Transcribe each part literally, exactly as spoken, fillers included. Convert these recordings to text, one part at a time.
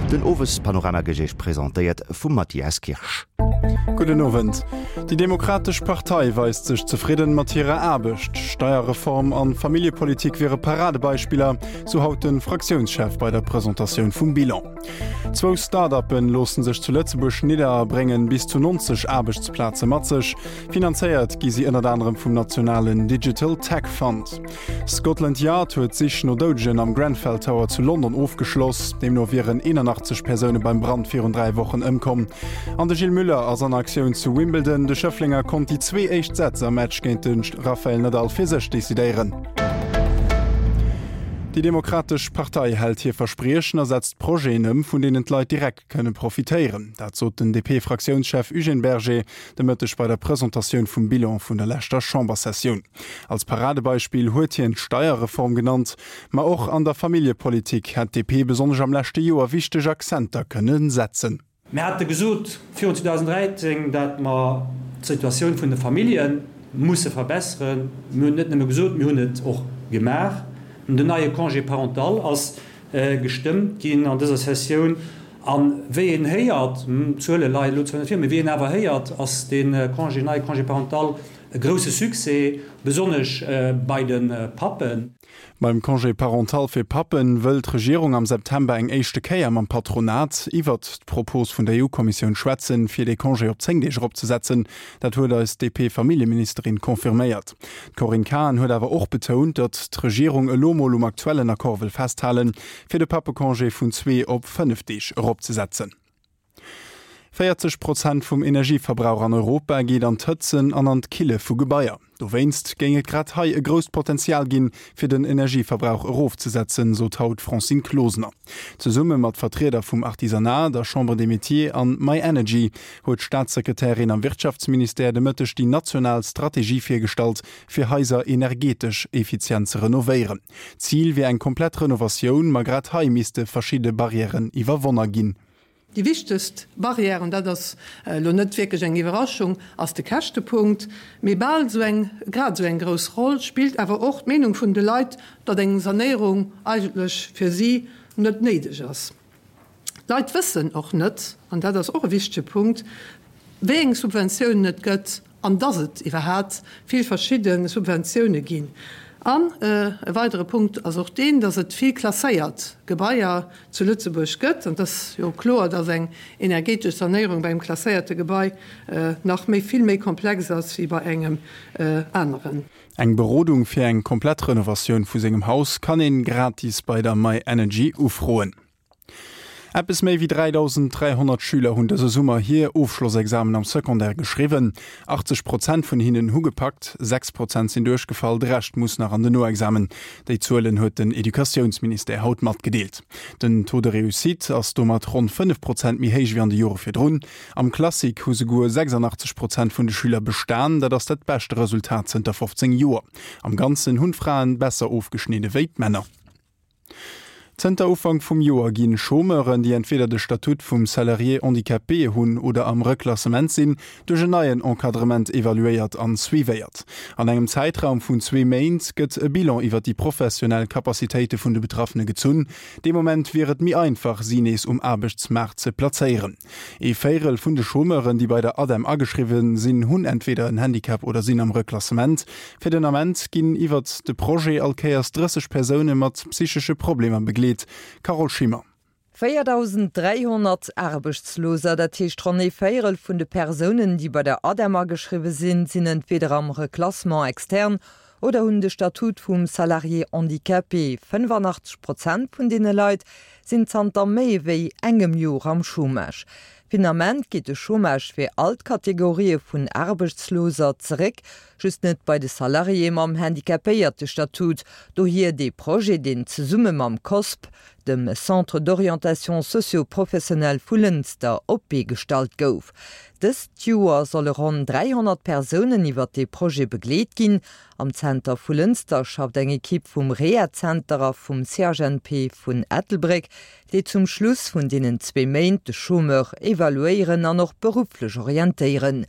Den Owespanorama gëtt iech presentéiert vum Mathias Kirsch. Gudden Owend. Déi Demokratesch Partei weist sech zefridden mat hirer Aarbecht. Steierreform an Familljepolitik wiere Paradebeispiller, sou haut de Fraktiounschef bei der Presentatioun vum Bilan. Zwou Start-uppen loosse sech zu Lëtzebuerg nidder a bréngen bis zu nonzeg Aarbechtsplaze mat sech. Finanzéiert gi si ënnert anerem vum nationalen Digital Tech Fund. Scotland Yard huet d'Sich no Doudegen am Grenfell Tower zu London ofgeschloss. Deemno wieren eenanachtzeg Persoune beim Brand virun dräi Wochen ëmkomm. An de Gilles Muller ass an Aktioun zu Wimbledon. De Schëfflenger konnt déi zwee éischt Sätz am Match géint de Rafael Nadal fir sech decidéieren. Déi Demokratesch Partei hält hir Verspriechen a setzt Projeten ëm, vun deenen d'Leit direkt kënne profitéieren. Dat sot den D P-Fraktiounschef Eugène Berger de Mëtteg bei der Presentatioun vum Bilan vun der leschter Chambersessioun. Als Paradebeispill huet hien d'Steierreform genannt, ma och an der Familljepolitik hätt d'D P besonnesch am leschte Joer wichteg Akzenter kënne setzen. Mir hate gesot virun zweedausendräizéng, datt mer d'Situatioun vun de Famillje musse verbesseren. Mir hunn net nëmme gesot, mir hunn et och gemaach. Den neie Congé parental ass gestëmmt ginn an dëser Sessioun. A wéi een héiert, d'Zuele leien elo zwar net vir, mee wéi een awer héiert, ass dee Congé, neie Congé parental e grousse Succès, besonnesch bei de Pappen. Beim Congé parental fir Pappen wëll d'Regierung am September eng éischte Kéier mam Patronat iwwert d'Propos vun der E U-Kommissioun schwätzen, fir de Congé op zéng Deeg eropzesetzen. Dat huet eis D P-Familljeministerin confirméiert. D'Corinne Cahen huet awer och betount, datt d'Regierung elo mol um aktuellen Accord wëll festhalen, fir de Pappecongé vun zwee op fënnef Deeg eropzesetzen. véierzeg Prozent vum Energieverbrauch an Europa geet an d'Hëtzen an an d'Kille vu Gebaier. Dowéinst géing et grad hei e grousst Potenzial ginn, fir den Energieverbrauch erofzesetzen, sot haut d'Francine Closener. Zesumme mat Vertrieder vum Artisanat, der Chambre des Métiers an My Energy huet d'Staatssekretärin am Wirtschaftsministère de Mëtteg déi national Strategie virgestallt, fir Haiser energetesch effizient ze renovéieren. Zil wier eng komplett Renovatioun, ma grad hei misste verschidde Barrièren iwwerwonne ginn. Déi wichtegst Barrière, an dat ass elo net wierklech eng Iwwerraschung, ass de Käschtepunkt. Mee bal esou eng, grad esou eng grouss Roll spillt awer och d'Meenung vun de Leit, datt eng Sanéierung eigentlech fir si net néideg ass. D'Leit wëssen och net, an dat ass och e wichtege Punkt, wéi eng Subventiounen et gëtt an datt et iwwerhaapt vill verschidde Subventioune ginn. An e weidere Punkt ass och deen, datt et vill klasséiert Gebaier zu Lëtzebuerg gëtt. An et ass jo kloer, datt eng energetesch Sanéierung bei engem klasséierte Gebai nach méi, vill méi komplex ass wéi bei engem aneren. Eng Berodung fir eng komplett Renovatioun vu sengem Haus kann een gratis bei der My Energy ufroen. Eppes méi wéi dräidausend dräihonnert Schüler hunn dëse Summer hir Ofschlossexamen am Secondaire geschriwwen. achtzeg Prozent vun hinnen hu gepackt, sechs Prozent sinn duerchgefall, de Rescht muss nach an den Noexamen. Déi Zuelen huet den Educatiounsministère haut matgedeelt. Den Taux de réussite ass domat ronn fënnef Prozent méi héich wéi an de Jore virdrun. Am Classique hu souguer sechsanachtzeg Prozent vun de Schüler bestan, dat ass dat beschte Resultat zënter fofzéng Joer. Am Ganzen hunn d'Fraen besser ofgeschnidde wéi d'Männer. Zënter Ufank vum Joer ginn Chômeuren, déi entweder de Statut vum Salarié handicapé hunn oder am Reklassement sinn, duerch en neien Encadrement evaluéiert an suivéiert. An engem Zäitraum vun zwee Méint gëtt e Bilan iwwer déi professionell Capacitéite vun de Betraffene gezunn. Dee Moment wier et méi einfach, si nees um Aarbechtsmaart ze plazéieren. Ee Véierel vun de Chômeuren, déi bei der ADEM ageschriwwen sinn, hunn entweder en Handicap oder sinn am Reklassement. Fir den Ament ginn iwwer de Projet all Kéiers drësseg Persoune mat psychesche Problemer begleet. Carole Schimmer. véierdausend dräihonnert Aarbechtsloser, dat heescht ronn ee Véierel vun de Persounen, déi bei der ADEM ageschriwwe sinn, sinn entweder am Reclassement externe oder hunn de Statut vum Salarié handicapé. fënnefanachteg Prozent vun deene Leit sinn zanter méi wéi engem Joer am Chômage. Fir den Ament geet de Chômage fir all d'Kategorië vun Aarbechtsloser zeréck, just net bei de Salariéë mam Handicapéierte-Statut. Dohier dee Projet, deen zesumme mam COSP, dem Centre d'orientation socio-professionnelle vu Lënster, op d'Bee gestallt gouf. Dëst Joer solle ronn dräihonnert Persounen iwwer dee Projet begleet ginn. Am Zenter vu Lënster schafft eng Ekipp vum Rehazenter a vum C H N P vun Ettelbréck, déi zum Schluss vun deenen zwee Méint de Chômeur evaluéieren an och berufflech orientéieren.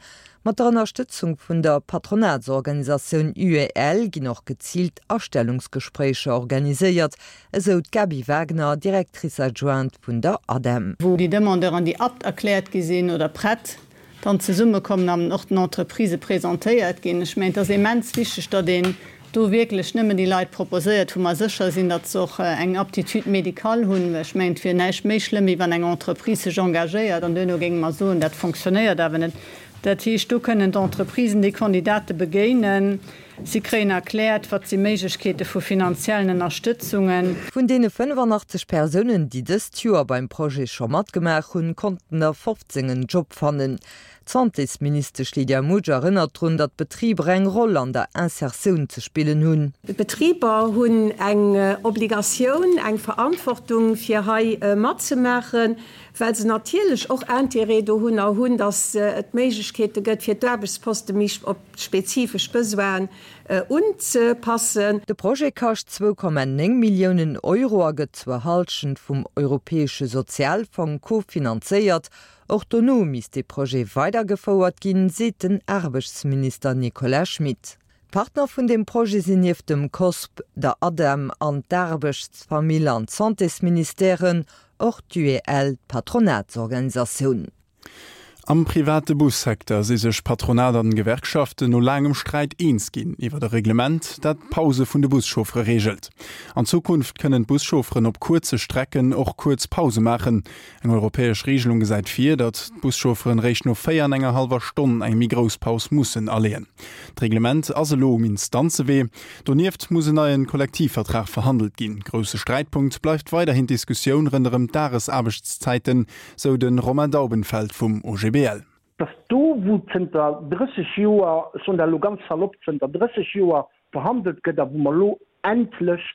Mat der Ënnerstëtzung vun der Patronatsorganisatioun UEL ginn och geziilt Astellungsgespréicher organiséiert, esou d'Gaby Wagner, Directrice adjointe vun der ADEM. Wou déi Demandeuren, déi apte erkläert gi sinn oder prett, dann zesummekommen an och den Entreprisë presentéiert ginn. Ech mengen, et ass immens wichteg, datt een do wierklech nëmmen déi Leit proposéiert, wou mer sécher sinn, datt se och eng Aptitude médicale hunn. Well ech mengen, et wier näischt méi schlëmm, wéi wann eng Entreprise sech engagéiert an duerno géinge mer soen, dat fonctionnéiert awer net. Dat heescht, do kënnen d'Entreprisen déi Kandidate begéinen. Si kréien erkläert, wat si Méiglechkeete vu finanziellen Ënnerstëtzungen. Vun deene fënnefannachtzeg Persounen, déi dëst Joer beim Projet scho matgemaach hunn, konnten der fofzéng en Job fannen. D'Santésministesch Lydia Mutsch erënnert drun, datt d'Betriber eng Roll an der Insertioun ze spillen hunn. D'Betriber hunn eng Obligatioun, eng Verantwortung, fir hei matzemaachen, well se natierlech och Intérêt dohunner hunn, datt et Méiglechkeete gëtt, fir d'Aarbechtsposte méi op spezifesch Besoinen unzepassen. De Projet kascht zwou Komma néng Milliounen Euro a gëtt zur Hallschent vum Europäesche Sozialfong kofinanzéiert. Och dono misst de Projet weidergefouert ginn, seet den Aarbechtsminister Nicolas Schmit. D'Partner vun deem Projet sinn nieft dem COSP, der ADEM an d'Aarbechts-, Famill an d'Santésministèren och d'UEL, d'Patronatsorganisatioun. Am private Bussecteur si sech Patronat an Gewerkschaften no laangem Sträit eens ginn iwwer e Reglement, dat d'Pause vun de Buschauffere reegelt. An Zukunft kënnen d'Buschaufferen op kuerze Strecken och kuerz Pause maachen. Eng europäesch Reegelung gesäit vir, datt d'Buschaufferen réischt no véier an enger hallwer Stonn eng méi grouss Paus mussen aleeën. D'Reglement ass elo um Instanzewee. Donieft muss en neien Kollektivvertrag verhandelt ginn. Grousse Sträitpunkt bleift weiderhin d'Diskussioun ronderëm d'Dagesaarbechtszäiten, sou de Romain Daubenfeld vum O G B L. Dass do, wou zënter drësseg Joer, ech soen dat elo ganz salopp, zënter drësseg Joer verhandelt gëtt a wou mer elo endlech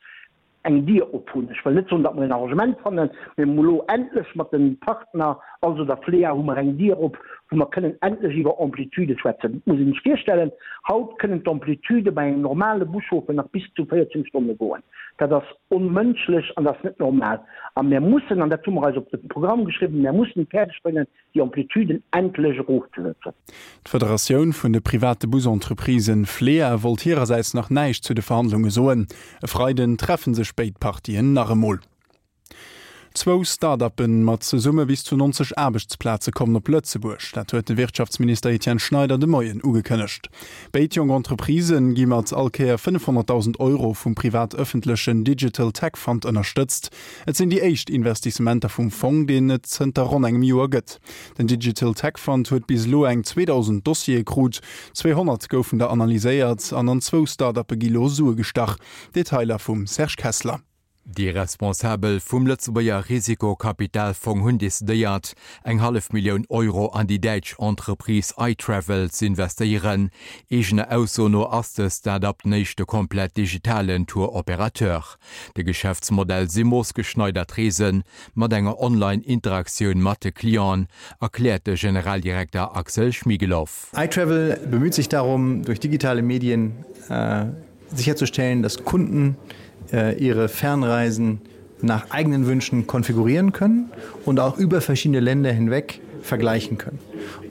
eng Dier op hunn, ech wëll net soen, datt mer en Arrangement fannen, mä mer elo endlech mat de Partner, also der FLEA, hu mer eng Dier op, wou mer kënnen endlech iwwer Amplitudë schwätzen. Et muss een sech virstellen, haut kënnen d'Amplitudë bei engem normale Buschauffer nach bis zu véierzéng Stonne goen. Dat ass onmënschlech an dat ass net normal. A mir mussen, an dat hu mer eis op de Programm geschriwwen, mir mussen et fäerdeg bréngen, déi Amplituden endlech erofzesetzen. D'Federatioun vun de private Busentreprisen, FLEA, wollt hirersäits nach näischt zu de Verhandlunge soen. E Freiden treffe sech béid Partien nach emol. Zwou Start-uppe mat zesumme bis zu neunzeg Aarbechtsplaze kommen op Lëtzebuerg. Dat huet de Wirtschaftsminister Etienne Schneider de Moien ugekënnegt. Béid jonk Entreprisë gi mat all Kéier fënnefhonnertdausend Euro vum privat-ëffentlechen Digital Tech Fund ënnerstëtzt. Et sinn déi éischt Investissementer vum Fong, deen et zënter ronn engem Joer gëtt. Den Digital Tech Fund huet bis elo eng zweedausend Dossiere krut, zweehonnert goufen der analyséiert an an zwou Start-uppe gi lo Sue gestach. Detailer vum Serge Kessler. Déi Responsabel vum Lëtzebuerger Risikokapitalfong hunn decidéiert, eng hallef Millioun Euro an déi däitsch Entreprise iTravel z'investéieren. Eegener Ausso no ass de Start-up den éischte komplett digitalen Tour-Operateur. De Geschäftsmodell si moossgeschneidert Reesen mat enger Online-Interaktioun mat de Clienten, erkläert de Generaldirekter Axel Schmiegelow. iTravel bemüht sich darum, durch digitale Medien äh, sicherzustellen, dass Kunden äh, ihre Fernreisen nach eigenen Wünschen konfigurieren können und auch über verschiedene Länder hinweg vergleichen können.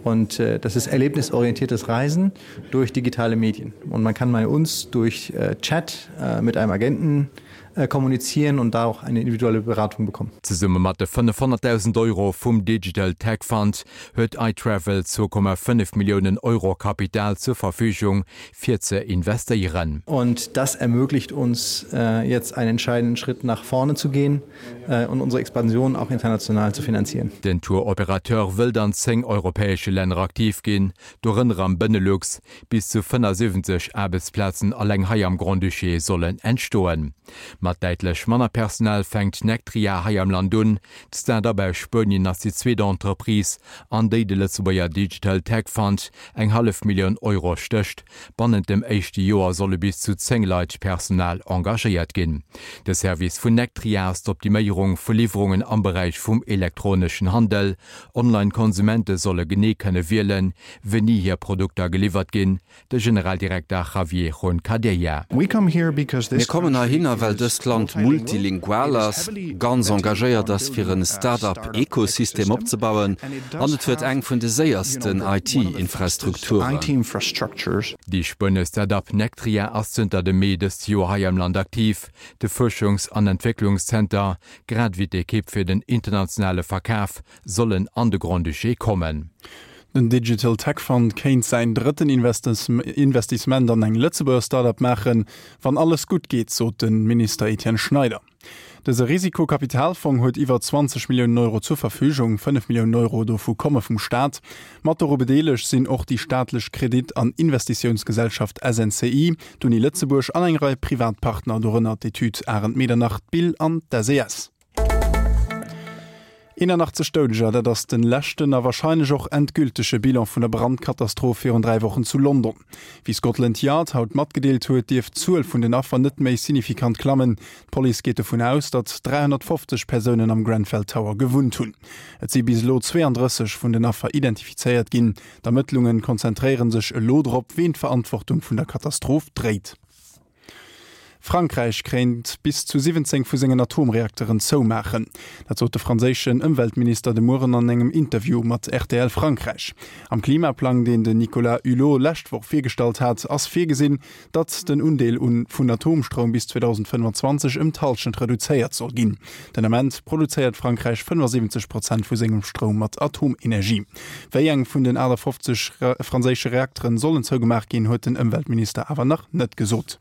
Und äh, das ist erlebnisorientiertes Reisen durch digitale Medien. Und man kann bei uns durch äh, Chat äh, mit einem Agenten äh, kommunizieren und da auch eine individuelle Beratung bekommen. Zesumme mat de fënnefhonnertdausend Euro vum Digital Tech Fund huet iTravel zwou Komma fënnef Milliounen Euro Kapital zur Verfügung fir ze investéieren. Und das ermöglicht uns äh, jetzt einen entscheidenden Schritt nach vorne zu gehen äh, und unsere Expansion auch international zu finanzieren. Den Tour-Operateur wëllt an zéng europäesche Länner aktiv ginn, dorënner am Benelux. Bis zu fënnefasiwwenzeg Aarbechtsplazen alleng hei am Grand-Duché sollen entstoen. Mat däitlech manner Personal fänkt Nectria hei am Land un. D'Start-up aus Spuenien ass déi zweet Entreprise, an déi de Lëtzebuerger Digital Tech Fund eng hallef Millioun Euro stécht. Bannent dem éischte Joer solle bis zu zéng Leit Personal engagéiert ginn. De Service vun Nectria ass d'Optiméierung vu Liwwerungen am Beräich vum elektroneschen Handel. Online-Konsumente solle genee kënne wielen, wéini hir Produkter geliwwert ginn. De Generaldirekter Javier Juncadella. Mir kommen heihinner, well dëst dëst Land multilingual ass, ganz engagéiert ass fir en Start-up-Ekosystem opzebauen an et huet eng vun de séiersten IT-Infrastrukturen. Déi spuenesch Start-up Nectria ass zënter dem Mee dëst Joer hei am Land aktiv. De Fuerschungs an Entwécklungszenter, grad ewéi d'Ekipp fir den internationale Verkaf sollen an de Grand-Duché kommen. Den Digital Tech Fund kéint säin drëtten Investissement an eng Lëtzebuerger Start-up maachen, wann alles gutt geet, sot de Minister Etienne Schneider. Dëse Risikokapitalfong huet iwwer zwanzeg Milliounen Euro zur Verfügung, fënnef Milliounen Euro dovu komme vum Staat. Mat doru bedeelegt sinn och déi staatlech Kredit an Investitiounsgesellschaft S N C I, d'Uni Lëtzebuerg an eng Rei privat Partner, dorënner d'Etüd Arendt Medernach, d'BIL an d'S E S. eenanachtzeg Doudeger, dat ass de leschten a warscheinlech och endgültege Bilan vun der Brandkatastroph virun dräi Wochen zu London. Wéi Scotland Yard haut matgedeelt huet, dierft d'Zuel vun den Affer net méi signifikant klammen. D'Police geet dovun aus, datt dräihonnertfofzeg Persounen am Grenfell Tower gewunnt hunn. Et si bis elo zweeandrësseg vun den Affer identifizéiert ginn. D'Ermëttlunge konzentréiere sech elo drop, ween d'Verantwortung vun der Katastroph dréit. Frankräich kéint bis zu siwwenzéng vu sengen Atomreakteren zoumaachen. Dat sot de franséischen Ëmweltminister de Mueren an engem Interview mat R T L Frankräich. Am Klimaplang, deen den Nicolas Hulot lescht Woch virgestallt hat, ass virgesinn, datt den Undeel un vun Atomstroum bis zweedausendfënnfanzwanzeg ëm d'Hallschent reduzéiert soll ginn. Den Ament produzéiert Frankräich fënnefasiwwenzeg Prozent vu sengem Stroum mat Atomenergie. Wéi eng vun den aachtafofzeg franséische Reakteren sollen zougemaach ginn, huet den Ëmweltminister awer nach net gesot.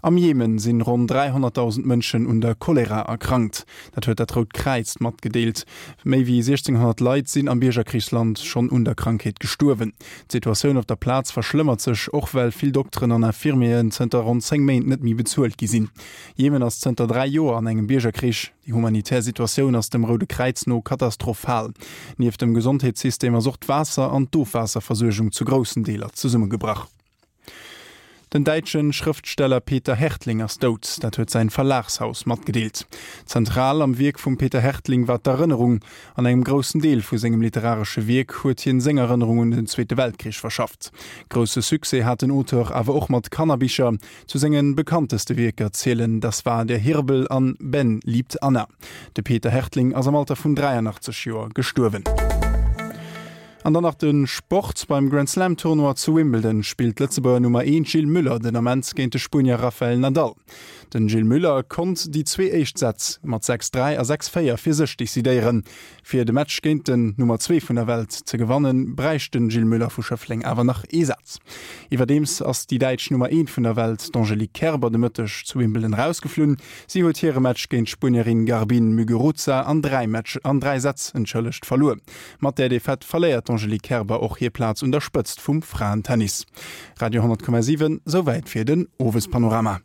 Am Jemen sinn ronn dräihonnertdausend Mënschen un der Cholera erkrankt. Dat huet dat Rout Kräiz matgedeelt. Méi wéi siechzénghonnert Leit sinn am Biergerkrichsland schonn un der Krankheet gestuerwen. D'Situatioun op der Plaz verschlëmmert sech och well vill Dokteren an Infirmieren zënter ronn zéng Méint net méi bezuelt gi sinn. Jemen ass zënter dräi Joer an engem Biergerkrich. Déi humanitär Situatioun ass dem Roude Kräiz no katastrophal. Nieft dem Gesondheetssystem ass och d'Waasser an d'Ofwaasserversuergung zu groussen Deeler zesummegebrach. Den däitsche Schrëftsteller Peter Härtling ass dout, dat huet säin Verlagshaus matgedeelt. Zentral am Wierk vum Peter Härtling war d'Erënnerung. An engem groussen Deel vu sengem literaresche Wierk huet hien seng Erënnerung un den Zweete Weltkrich verschafft. Grousse Succès hat den Auteur awer och mat Kannerbicher. Zu senge bekannteste Wierker zielen Das war der Hirbel an Ben liebt Anna. De Peter Härtling ass am Alter vun dräianachtzeg Joer gestuerwen. An dann nach de Sport, Beim Grand Slam Tournoi zu Wimbledon spillt d'Lëtzebuerger Nummer eent Gilles Müller den Ament géint de Spuenier Rafael Nadal. Den Gilles Müller konnt déi zwee éischt Sätz mat sechs, dräi a sechs, véier fir sech decidéieren. Fir de Match géint den Nummer zwee vun der Welt ze gewannen, bräicht den Gilles Müller vu Schëffleng awer nach ee Saz. Iwwerdeems ass déi däitsch Nummer eent vun der Welt, d'Angelique Kerber, de Mëtteg zu Wimbledon erausgeflunn. Si huet hire Match géint d'Spuenierin Garbine Muguruza an dräi Match an dräi Sätz entschëllegt verluer. Mat där Defaite verléiert d'Angelique Kerber och hir Plaz un der Spëtzt vum Fraentennis. Radio honnert Komma siwen, Souwäit fir den Owespanorama.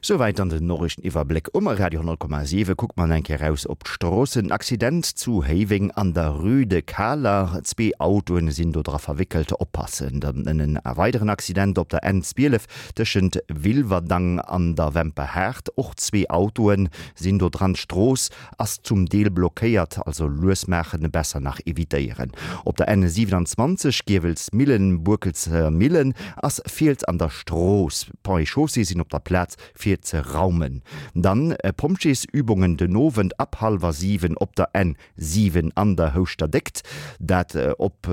Souwäit dann den Noriichteniwwerbléck um Radio honnert Komma siwen. Kucke mer eng Kéier raus op d'Stroossen. Accident zu Héiweng an der Rue de Kaler. Zwee Autoen sinn do dra verwéckelt. Oppassen. Dann en weideren Accident op der N zwielef tëschent Wilwerdang an der Wemperhaart. Och zwee Autoen sinn do dran. D'Strooss ass zum Deel blockéiert, also lues maachen, besser nach evitéieren. Op der N siewenundzwanzeg Giewelsmillen, Boekelser Millen ass Fiels an der Strooss. Ponts et Chaussées sinn op der Plaz fir ze raumen. Dann Pompjeesübungen den Owend ab hallwer siwen op der N siwen an der Houschter Déckt, dat op,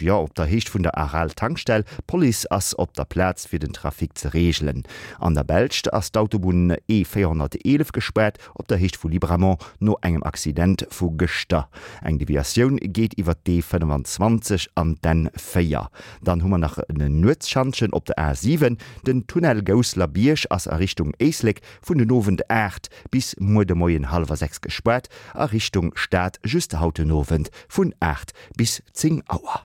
jo, op der Héicht vun der Aral Tankstell. D'Police ass op der Plaz fir den Trafic ze reegelen. An der Belsch ass d'Autobunn E véierhonnerteelef gespaart op der Héicht vu Libramont no engem Accident vu gëschter. Eng Deviatioun geet iwwer d'E fënnfanzwanzeg an d'N véier. Dann hu mer nach en Nuetsschantjen op der A siwen. Den Tunnel Gousselerbierg ass a Richtung Éislek vun den Owend aacht bis muer de Moien hallwer sechs gespaart, a Richtung Stad just haut den Owend vun aacht bis zéng Auer.